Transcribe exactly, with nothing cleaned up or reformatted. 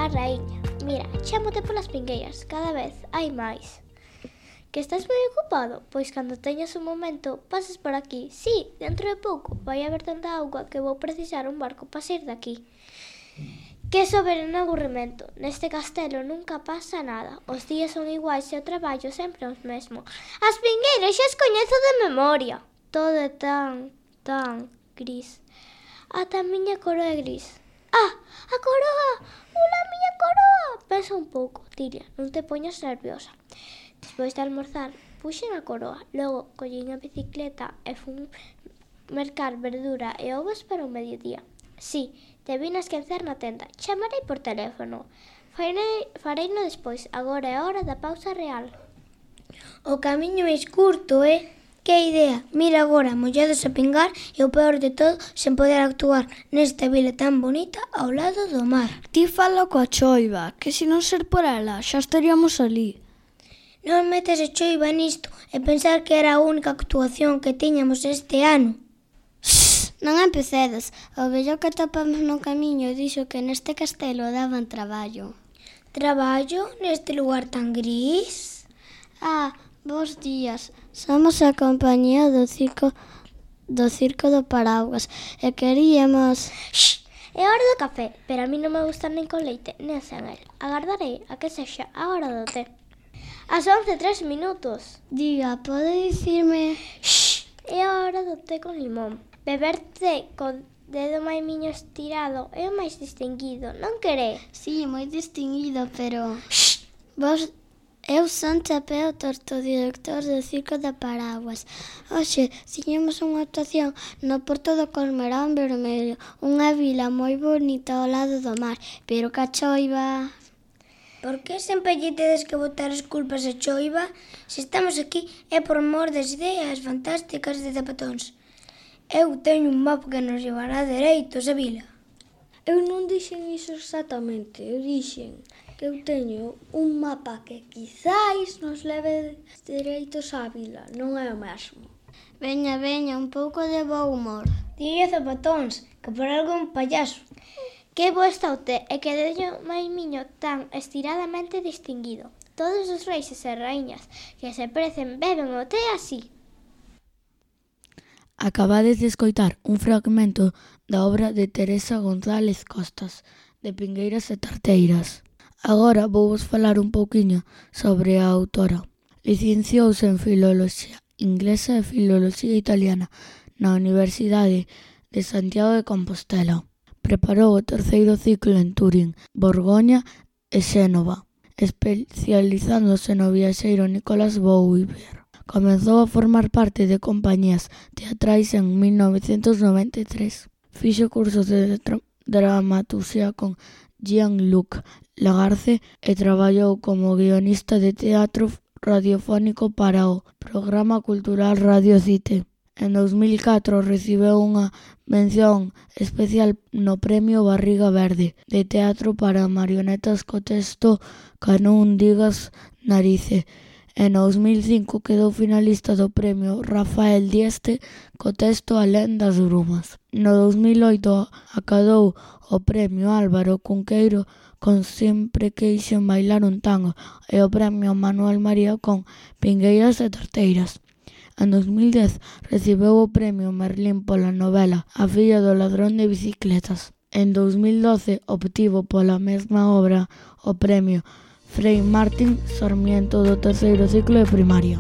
a raíña. Mira, chámote polas pingueiras, cada vez hai máis. Que estás moi ocupado? Pois cando teñas un momento, pases por aquí. Sí, dentro de pouco vai haber tanta auga que vou precisar un barco para sair daqui. Que soberano aburrimento. Neste castelo nunca pasa nada. Os días son iguais e o traballo sempre os mesmo. As pingueiras xa as coñezo de memoria. Todo é tan, tan gris. Ata a miña coroa é gris. Ah, a coroa! Ola, a miña coroa! Pensa un pouco, Tilia, non te poñas nerviosa. Despois de almorzar, puxen a coroa. Logo, collín a bicicleta e fun mercar verdura e ovos para o mediodía. Sí, te vin a esquecer na tenda. Chamarei por teléfono. Farei, fareino despois. Agora é hora da pausa real. O camiño é curto, eh? Que idea. Mira agora, mollados a pingar e o peor de todo, sen poder actuar nesta vila tan bonita ao lado do mar. Ti fala coa choiva, que se non ser por ela, xa estaríamos ali. Non metes a choiva nisto e pensar que era a única actuación que tiñamos este ano. Non empecedes. O vello que topamos no camiño dixo que neste castelo daban traballo. Traballo neste lugar tan gris? Ah, bons días. Somos a compañía do circo do circo do Paraugas e queríamos... Shhh, é hora do café, pero a mí non me gusta nin con leite, nen sen el. Agardarei a que sexa a hora do té. As once e tres minutos. Diga, pode dicirme... Shhh, é a hora do té con limón. Beber té con dedo maimiño estirado é o máis distinguido, non quere? Sí, moi distinguido, pero... Shhh, vos... Eu son Chapeo Torto, director do Circo da Paraguas. Hoxe, tiñemos unha actuación no Porto do Colmerón Vermello, unha vila moi bonita ao lado do mar, pero ca choiva... Por que sempre lle tedes que botar as culpas a choiva? Se estamos aquí é por mor das ideas fantásticas de Zapatóns. Eu teño un mapa que nos llevará dereitos a vila. Eu non dixen iso exactamente, eu dixen que eu teño un mapa que quizáis nos leve dereitos á vila, non é o mesmo. Veña, veña, un pouco de bo humor. Dille Zapatóns, que por algo un payaso. Que bo está o té e que dedo maimiño tan estiradamente distinguido. Todos os reis e raíñas que se precen beben o té así. Acabades de escoitar un fragmento da obra de Teresa González Costas, de Pingueiras e Tarteiras. Agora vou vos falar un pouquiño sobre a autora. Licenciouse en Filoloxía Inglesa e Filoloxía Italiana na Universidade de Santiago de Compostela. Preparou o terceiro ciclo en Turín, Borgoña e Xénova, especializándose no viaxeiro Nicolas Bouvier. Comezou a formar parte de compañías teatrais en mil novecentos noventa e tres. Fixo cursos de tra- dramaturxía con Jean-Luc Lagarce e traballou como guionista de teatro radiofónico para o programa cultural Radio Cite. En dos mil catro recibeu unha mención especial no Premio Barriga Verde de Teatro para Marionetas co texto "Que non digas narice". En dos mil cinco quedou finalista do Premio Rafael Dieste co texto "Alén das brumas". No dos mil oito acadou o Premio Álvaro Cunqueiro con Sempre queixen bailar un tango e o Premio Manuel María con Pingueiras e Tarteiras. En dos mil dez recibeu o Premio Merlín pola novela A filla do ladrón de bicicletas. En dos mil doce obtivo pola mesma obra o Premio Frei Martín Sarmiento do terceiro ciclo de primaria.